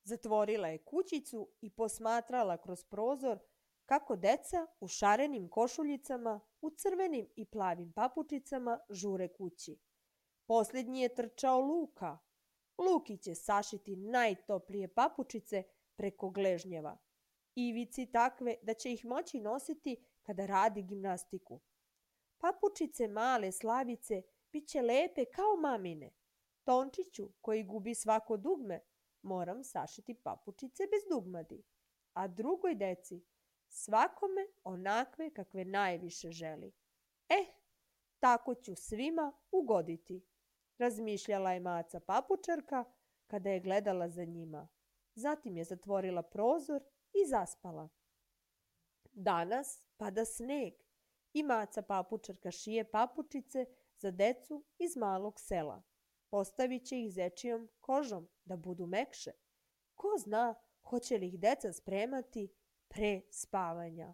Zatvorila je kućicu i posmatrala kroz prozor kako deca u šarenim košuljicama, u crvenim i plavim papučicama žure kući. Posljednji je trčao Luka. Luki će sašiti najtoplije papučice preko gležnjeva. Ivici takve da će ih moći nositi kada radi gimnastiku. Papučice male Slavice bit će lepe kao mamine. Tončiću, koji gubi svako dugme, moram sašiti papučice bez dugmadi. A drugoj deci, svakome onakve kakve najviše želi. Tako ću svima ugoditi, razmišljala je Maca papučarka kada je gledala za njima. Zatim je zatvorila prozor i zaspala. Danas pada sneg i Maca papučarka šije papučice za decu iz malog sela. Postavit će ih zečijom kožom da budu mekše. Ko zna hoće li ih deca spremati pre spavanja.